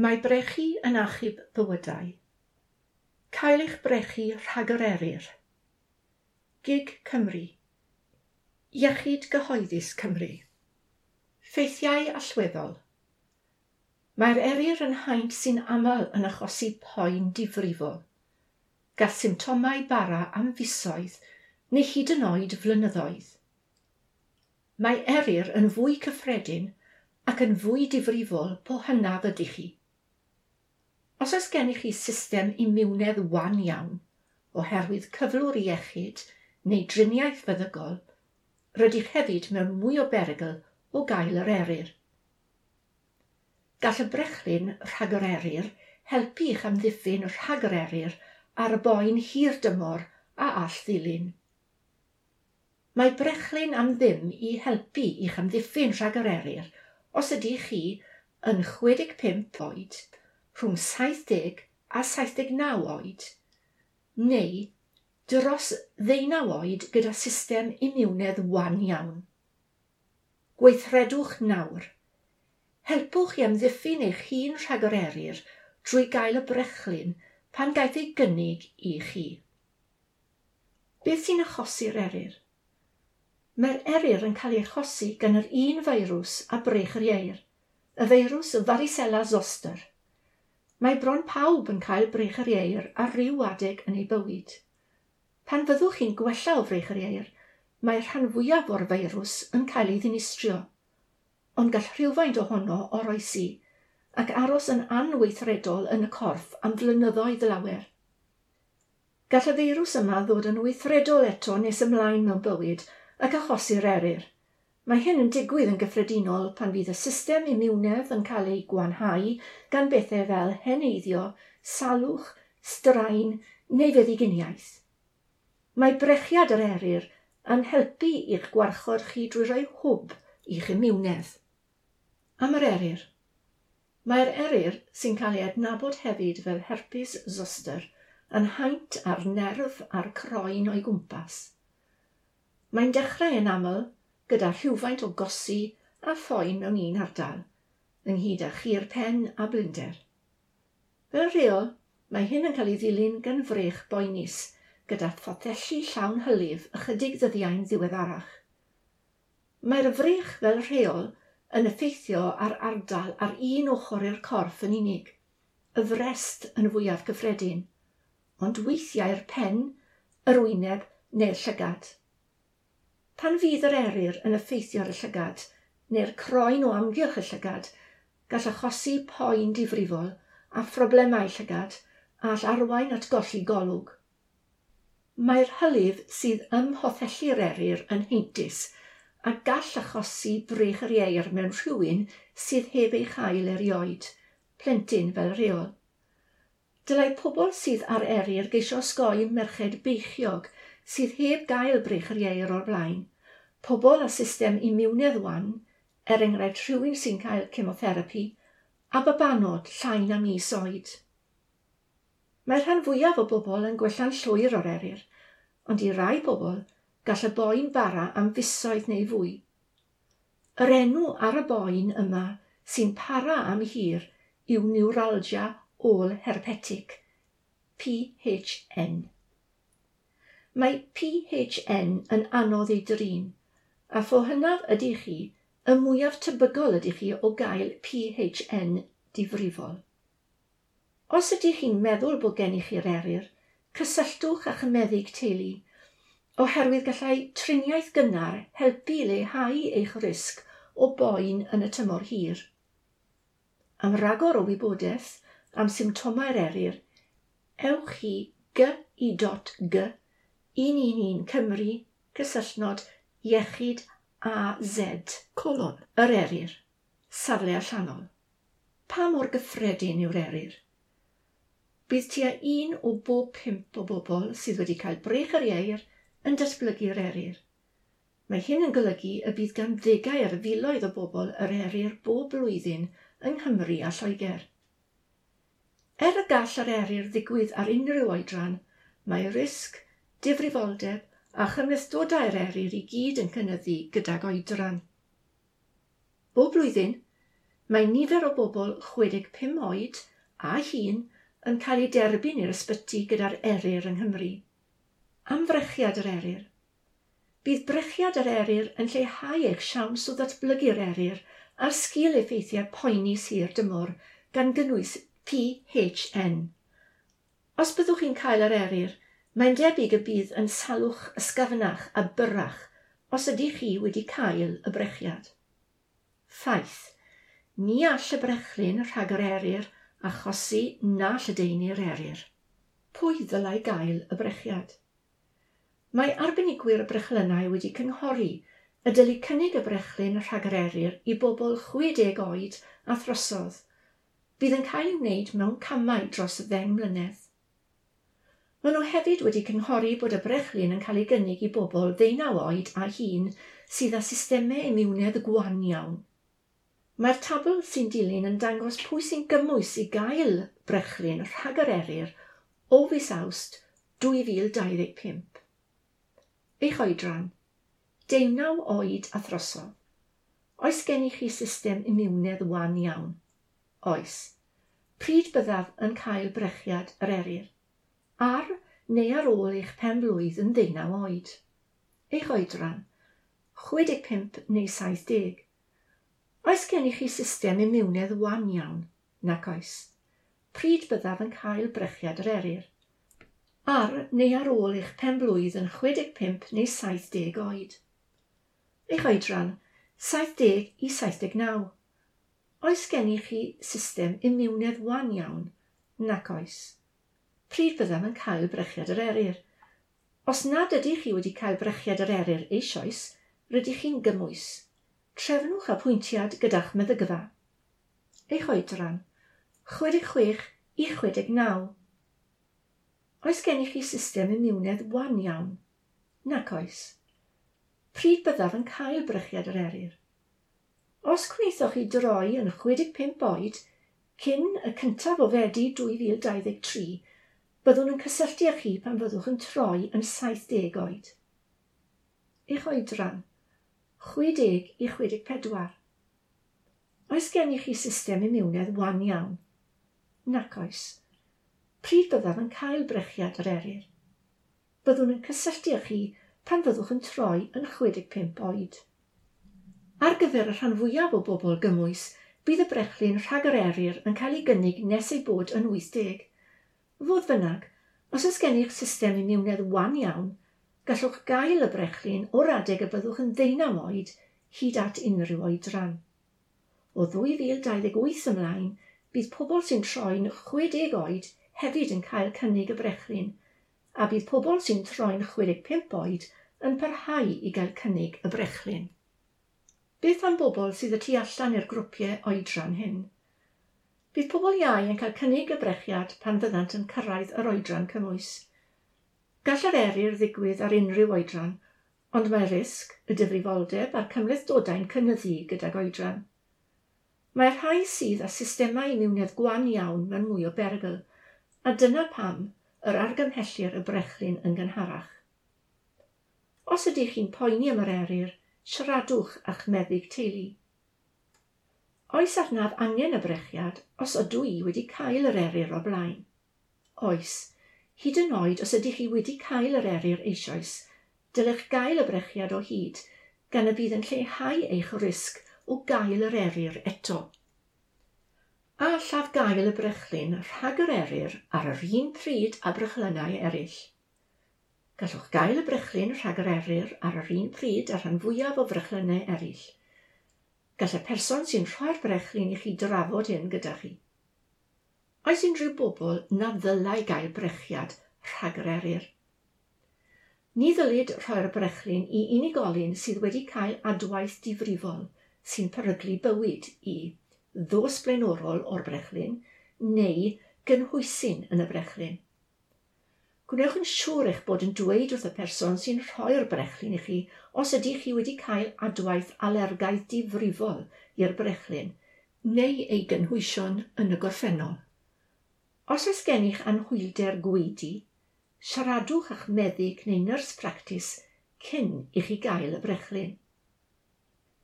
Mae brechu yn achub bywydau. Cael eich brechu rhag yr eryr. GIG Cymru. Iechyd Gyhoeddus Cymru. Ffeithiau allweddol. Mae'r eryr yn haint sy'n aml yn achosi poen difrifol. Gall symptomau bara am fisoedd neu hyd yn oed flynyddoedd. Mae eryr yn fwy cyffredin ac yn fwy difrifol po hynaf ydych chi. Os oes gennych chi system imiwnedd wan iawn, oherwydd cyflwr iechyd neu driniaeth feddygol, rydych hefyd mewn mwy o berygl o gael yr eryr. Gall y brechlyn rhag yr eryr helpu i'ch amddiffyn rhag yr eryr ar y boen hir dymor a all ddilyn. Mae brechlyn am ddim i helpu i'ch amddiffyn rhag yr eryr os ydych chi yn 65 oed, rhwng 70 a 79 oed, neu dros 19 oed gyda system imiwnedd wan iawn. Gweithredwch nawr. Helpwch i amddiffyn eich hun rhag yr eryr drwy gael y brechlyn pan gaiff ei gynnig i chi. Beth sy'n achosi'r eryr? Mae'r eryr yn cael ei achosi gan yr un feirws a brech yr ieir, y feirws varicella zoster. Mae bron pawb yn cael brech yr ieir ar ryw adeg yn ei bywyd. Pan fyddwch chi'n gwella o frech yr ieir, mae'r rhan fwyaf o'r feirws yn cael ei ddinistrio, ond gall rhywfaint ohono oroesi ac aros yn anweithredol yn y corff am flynyddoedd lawer. Gall y feirws yma ddod yn weithredol eto nes ymlaen mewn bywyd ac achosi'r eryr. Mae hyn yn digwydd yn gyffredinol pan fydd y system imiwnedd yn cael ei gwanhau gan bethau fel heneiddio, salwch, straen neu feddyginiaeth. Mae brechiad yr eryr yn helpu i'ch gwarchod chi drwy roi hwb i'ch imiwnedd. Am yr eryr. Mae'r eryr, sy'n cael ei adnabod hefyd fel herpes zoster, yn haint ar nerf a'r croen o'i gwmpas. Mae'n dechrau yn aml gyda rhywfaint o gosi a phoen mewn un ardal, ynghyd â chur pen a blinder. Fel rheol, mae hyn yn cael ei ddilyn gan frech boenus, gyda phothelli llawn hylif ychydig ddyddiau'n ddiweddarach. Mae'r frech fel rheol yn effeithio ar ardal ar un ochr i'r corff yn unig, y frest yn fwyaf gyffredin, ond weithiau'r pen, yr wyneb neu'r llygad. Pan fydd yr eryr yn effeithio ar y llygad, neu'r croen o amgylch y llygad, gall achosi poen difrifol a phroblemau llygad a all arwain at golli golwg. Mae'r hylif sydd ym mhothelli'r eryr yn heintus a gall achosi brech yr ieir mewn rhywun sydd heb ei chael erioed, plentyn fel rheol. Dylai pobl sydd ar eryr geisio osgoi merched beichiog sydd heb gael brech yr ieir o'r blaen, pobl â system imiwnedd wan, er enghraifft rhywun sy'n cael chemotherapi, a babanod llai na mis oed. Mae'r rhan fwyaf o bobl yn gwella'n llwyr o'r eryr, ond i rai bobl gall y boen bara am fisoedd neu fwy. Yr enw ar y boen yma sy'n para am hir yw neuralgia ôl-herpetic, PHN. Mae PHN yn anodd ei drin, a pho hynaf ydych chi, y mwyaf tebygol ydych chi o gael PHN difrifol. Os ydych chi'n meddwl bod gennych chi'r eryr, cysylltwch â'ch meddyg teulu, oherwydd gallai triniaeth gynnar helpu i leihau eich risg o boen yn y tymor hir. Am ragor o wybodaeth am symptomau'r eryr, ewch i gy.g 111 Cymru cysylltnod iechyd AZ colon yr eryr, safle allanol. Pa mor gyffredin yw'r eryr? Bydd tua 1 o bob 5 o bobl sydd wedi cael brech yr ieir yn datblygu'r eryr. Mae hyn yn golygu y bydd gan ddegau ar filoedd o bobl yr eryr bob blwyddyn yng Nghymru a Lloegr. Er y gall yr eryr ddigwydd ar unrhyw oedran, mae risg, difrifoldeb a chymhlethdodau'r eryr i gyd yn cynyddu gydag oedran. Bob blwyddyn, Mae nifer o bobl 65 oed a hŷn yn cael eu derbyn i'r ysbyty gyda'r eryr yng Nghymru. Am frechiad yr eryr. Bydd brechiad yr eryr yn lleihau eich siawns o ddatblygu'r eryr a'r sgil effeithiau poenus hir dymor gan gynnwys PHN. Os byddwch chi'n cael yr eryr, mae'n debyg y bydd yn salwch ysgafnach a byrrach os ydych chi wedi cael y brechiad. Ffaith. Ni all y brechlyn rhag yr eryr achosi na lledaenu'r eryr. Pwy ddylai gael y brechiad? Mae arbenigwyr y brechlynnau wedi cynghori y dylid cynnig y brechlyn rhag yr eryr i bobl 60 oed a throsodd. Bydd yn cael ei wneud mewn camau dros 10 mlynedd. Maen nhw hefyd wedi cynghori bod y brechlyn yn cael ei gynnig i bobl 19 oed a hŷn sydd â systemau imiwnedd gwan iawn. Mae'r tabl sy'n dilyn yn dangos pwy sy'n gymwys i gael brechlyn rhag yr eryr o fis Awst 2025. Eich oedran, 19 oed a throsodd. Oes gennych chi system imiwnedd wan iawn? Oes. Pryd byddaf yn cael brechiad yr eryr? Ar neu ar ôl eich pen-blwydd yn 19 oed. Eich oedran, 65 neu 70. Oes gennych chi system imiwnedd wan iawn? Nac oes. Pryd byddaf yn cael brechiad yr eryr? Ar neu ar ôl eich pen-blwydd yn 65 neu 70 oed. Eich oedran, 70 i 79. Oes gennych chi system imiwnedd wan iawn? Nac oes. Pryd byddaf yn cael brechiad yr eryr? Os nad ydych chi wedi cael brechiad yr eryr eisoes, rydych chi'n gymwys. Trefnwch apwyntiad gyda'ch meddygfa. Eich oedran, 66 i 69. Oes gennych chi system imiwnedd wan iawn? Nac oes. Pryd byddaf yn cael brechiad yr eryr? Os gwnaethoch chi droi yn 65 oed cyn y 1 o Fedi 2023, byddwn yn cysylltu â chi pan fyddwch yn troi yn 70 oed. Eich oedran, 60 i 64. Oes gennych chi system imiwnedd wan iawn? Nac oes. Pryd byddaf yn cael brechiad yr eryr? Byddwn yn cysylltu â chi pan fyddwch yn troi yn 65 oed. Ar gyfer y rhan fwyaf o bobl gymwys, bydd y brechlyn rhag yr eryr yn cael ei gynnig nes ei bod yn 80. Fodd bynnag, os oes gennych system imiwnedd wan iawn, gallwch gael y brechlyn o'r adeg y byddwch yn 19 oed hyd at unrhyw oedran. O 2028 ymlaen, bydd pobl sy'n troi'n 60 oed hefyd yn cael cynnig y brechlyn, a bydd pobl sy'n troi'n 65 oed yn parhau i gael cynnig y brechlyn. Beth am bobl sydd y tu allan i'r grwpiau oedran hyn? Bydd pobl iau yn cael cynnig y brechiad pan fyddant yn cyrraedd yr oedran cymwys. Gall yr eryr ddigwydd ar unrhyw oedran, ond mae risg, y difrifoldeb a'r cymhlethdodau'n cynyddu gydag oedran. Mae'r rhai sydd â systemau imiwnedd gwan iawn mewn mwy o berygl, a dyna pam yr argymhellir y brechlyn yn gynharach. Os ydych chi'n poeni am yr eryr, siaradwch â'ch meddyg teulu. Oes arnaf angen y brechiad os ydw i wedi cael yr eryr o'r blaen? Oes. Hyd yn oed os ydych chi wedi cael yr eryr eisoes, dylech gael y brechiad o hyd, gan y bydd yn lleihau eich risg o gael yr eryr eto. A allaf gael y brechlyn rhag yr eryr ar yr un pryd â brechlynnau eraill? Gallwch gael y brechlyn rhag yr eryr ar yr un pryd â'r rhan fwyaf o frechlynnau eraill. Gall y person sy'n rhoi'r brechlyn i chi drafod hyn gyda chi. Oes unrhyw bobl na ddylai gael brechiad rhag yr eryr? Ni ddylid rhoi'r brechlyn i unigolyn sydd wedi cael adwaith difrifol sy'n peryglu bywyd i ddos blaenorol o'r brechlyn neu gynhwysyn yn y brechlyn. Gwnewch yn siŵr eich bod yn dweud wrth y person sy'n rhoi'r brechlyn i chi os ydych chi wedi cael adwaith alergaidd difrifol i'r brechlyn neu ei gynhwysion yn y gorffennol. Os oes gennych anhwylder gwaedu, siaradwch â'ch meddyg neu nyrs practis cyn i chi gael y brechlyn.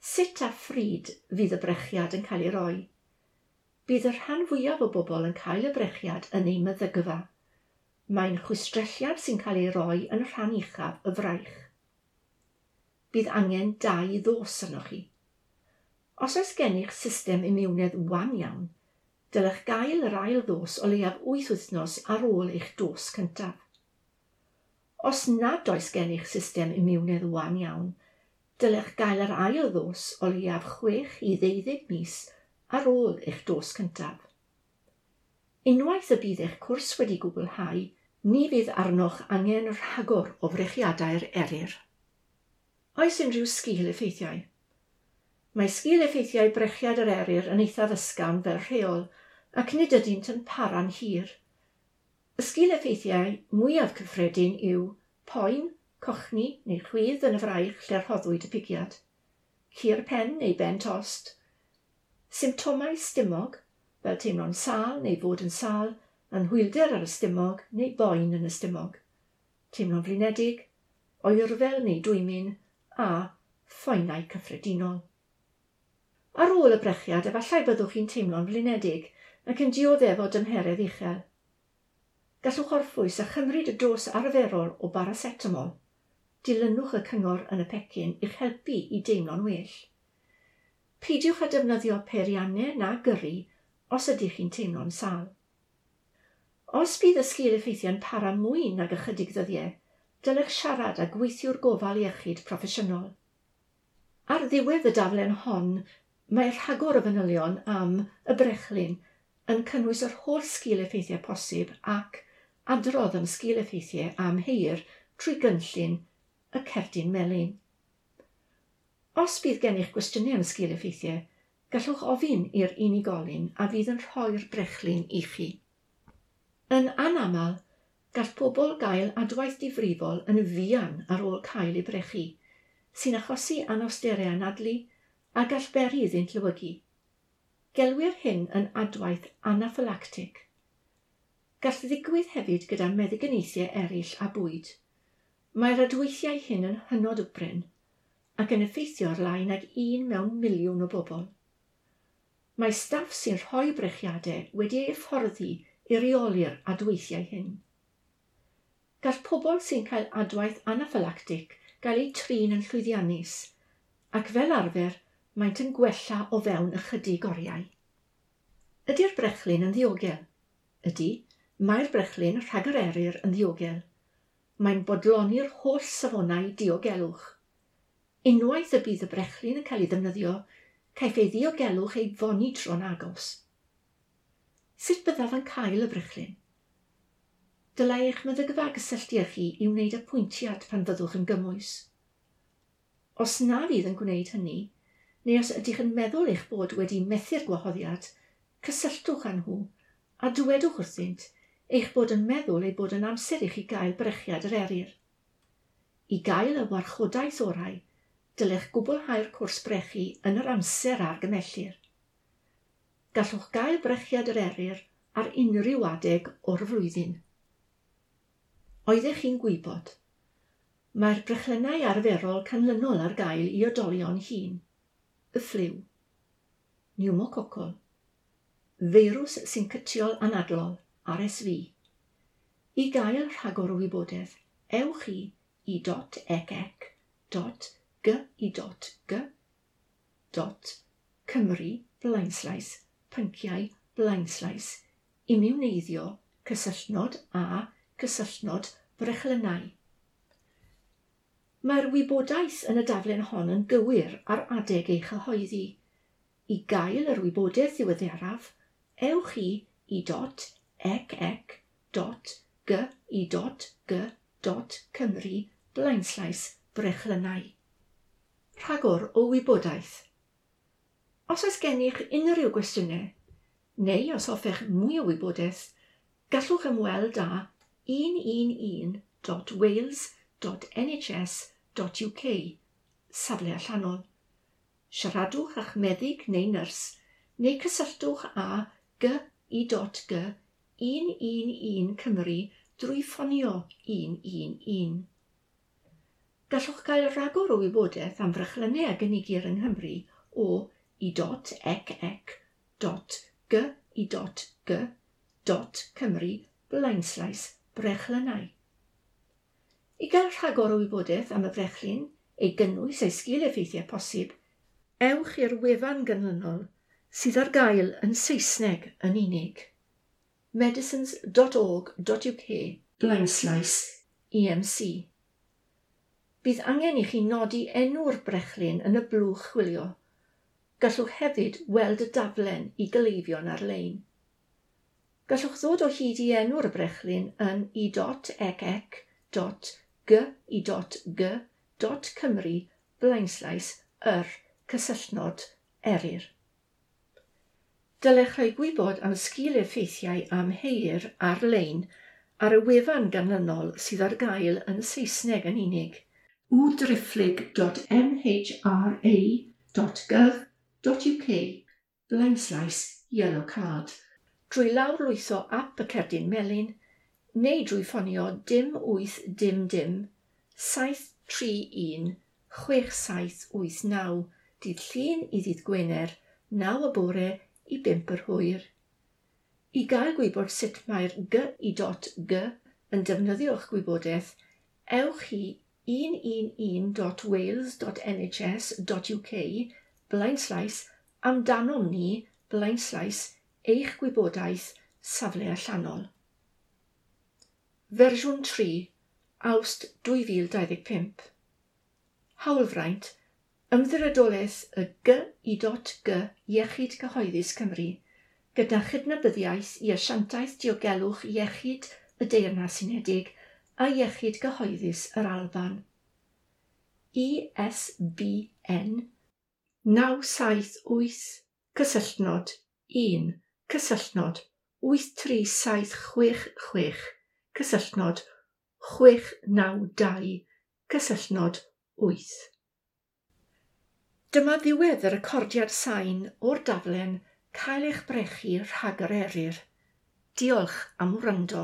Sut a phryd fydd y brechiad yn cael ei roi? Bydd y rhan fwyaf o bobl yn cael y brechiad yn eu meddygfa. Mae'n chwistrelliad sy'n cael ei roi yn rhan uchaf y fraich. Bydd angen 2 ddos arnoch chi. Os oes gennych system imiwnedd wan iawn, dylech gael yr ail ddos o leiaf 8 wythnos ar ôl eich dos cyntaf. Os nad oes gennych system imiwnedd wan iawn, dylech gael yr ail ddos o leiaf 6 i 12 mis ar ôl eich dos cyntaf. Unwaith y bydd eich cwrs wedi gwblhau, ni fydd arnoch angen rhagor o frechiadau'r eryr. Oes unrhyw sgil-effeithiau? Mae sgil-effeithiau brechiad yr eryr yn eithaf ysgafn fel rheol ac nid ydynt yn para'n hir. Y sgil-effeithiau mwyaf cyffredin yw poen, cochni neu chwydd yn y fraich lle rhoddwyd y pigiad, cur pen neu ben tost, symptomau stumog, fel teimlo'n sâl neu fod yn sâl, anhwylder ar y stumog neu boen yn y stumog, teimlo'n flinedig, oerfel neu dwymyn a phoenau cyffredinol. Ar ôl y brechiad, efallai byddwch chi'n teimlo'n flinedig ac yn dioddef o dymheredd uchel. Gallwch orffwys a chymryd y dos arferol o baracetamol. Dilynwch y cyngor yn y pecyn i'ch helpu i deimlo'n well. Peidiwch â defnyddio peiriannau na gyrru os ydych chi'n teimlo'n sâl. Os bydd y sgil-effeithiau'n para mwy nag ychydig ddyddiau, dylech siarad â gweithiwr gofal iechyd proffesiynol. Ar ddiwedd y daflen hon, mae rhagor o fanylion am y brechlyn yn cynnwys yr holl sgil-effeithiau posib ac adrodd am sgil-effeithiau amheuir trwy gynllun y cerdyn melyn. Os bydd gennych gwestiynau am sgil-effeithiau, gallwch ofyn i'r unigolyn a fydd yn rhoi'r brechlyn i chi. Yn anaml, gall pobl gael adwaith difrifol yn fuan ar ôl cael eu brechu, sy'n achosi anawsterau anadlu a gall beri iddynt lewygu. Gelwir hyn yn adwaith anaffylactig. Gall ddigwydd hefyd gyda meddyginiaethau eraill a bwyd. Mae'r adweithiau hyn yn hynod o brin ac yn effeithio ar lai nag 1 mewn miliwn o bobl. Mae staff sy'n rhoi brechiadau wedi eu hyfforddi i reoli'r adweithiau hyn. Gall pobl sy'n cael adwaith anaffylactig gael eu trin yn llwyddiannus ac fel arfer maent yn gwella o fewn ychydig oriau. Ydy'r brechlyn yn ddiogel? Ydy, mae'r brechlyn rhag yr eryr yn ddiogel. Mae'n bodloni'r holl safonau diogelwch. Unwaith y bydd y brechlyn yn cael ei ddefnyddio, caiff ei ddiogelwch ei fonitro'n agos. Sut byddaf yn cael y brechlyn? Dylai eich meddygfa gysylltu â chi i wneud apwyntiad pan fyddwch yn gymwys. Os na fydd yn gwneud hynny, neu os ydych yn meddwl eich bod wedi methu'r gwahoddiad, cysylltwch â nhw a dywedwch wrthynt eich bod yn meddwl ei bod yn amser i chi gael brechiad yr eryr. I gael y warchodaeth orau, dylech gwblhau'r cwrs brechu yn yr amser argymellir. Gallwch gael brechiad yr eryr ar unrhyw adeg o'r flwyddyn. Oeddech chi'n gwybod? Mae'r brechlynnau arferol canlynol ar gael i oedolion hŷn. Y ffliw, pneumococol, feirws syncytiol anadlol, RSV. I gael rhagor o wybodaeth, ewch i i.ec.gi.g.cymru blaenslaes pynciau blaenslaes imiwneiddio cysylltnod a cysylltnod brechlynnau. Mae'r wybodaeth yn y daflen hon yn gywir ar adeg ei chyhoeddi. I gael yr wybodaeth ddiweddaraf, ewch i i.ec.gi.g.cymru blaenslaes brechlynnau. Rhagor o wybodaeth. Os oes gennych unrhyw gwestiynau, neu os hoffech mwy o wybodaeth, gallwch ymweld â 111.wales.nhs.uk, safle allanol. Siaradwch â'ch meddyg neu nyrs, neu cysylltwch â gi.g 111 Cymru drwy ffonio 111. Gallwch gael rhagor o wybodaeth am frechlynnau a gynigir yng Nghymru o i.ec.gi.g.cymru i.g .cymru blaenslaes brechlynnau. I gael rhagor o wybodaeth am y brechlyn, ei gynnwys a'i sgil effeithiau posib, ewch i'r wefan ganlynol sydd ar gael yn Saesneg yn unig. medicines.org.uk blaenslaes EMC. Bydd angen i chi nodi enw'r brechlyn yn y blwch chwilio. Gallwch hefyd weld y daflen i gleifion ar-lein. Gallwch ddod o hyd i enw'r brechlyn yn i.ec.gi.g.cymru blaenslaes yr cysylltnod eryr. Dylech rhoi gwybod am sgil effeithiau amheir ar-lein ar y wefan ganlynol sydd ar gael yn Saesneg yn unig: www.mhra.gov.uk blaenslaes yellow card drwy lawrlwytho ap y cerdyn melyn neu drwy ffonio 0 8 0 0 731 6789 dydd Llun i ddydd Gwener, 9 y bore i 5 yr hwyr. I gael gwybod sut mae'r G.I.G yn defnyddio'ch gwybodaeth, ewch i 111.wales.nhs.uk blaenslaes amdanom ni blaenslaes eich gwybodaeth safle allanol. Fersiwn 3, Awst 2025. Hawlfraint, Ymddiriedolaeth y G.I.G Iechyd Cyhoeddus Cymru, gyda chydnabyddiaeth i Asiantaeth Diogelwch Iechyd y Deyrnas Unedig a Iechyd Cyhoeddus yr Alban. ISBN 978 cysylltnod 1 cysylltnod 83766 cysylltnod 692 cysylltnod 8. Dyma ddiwedd y recordiad sain o'r daflen Cael eich brechu rhag yr eryr. Diolch am wrando.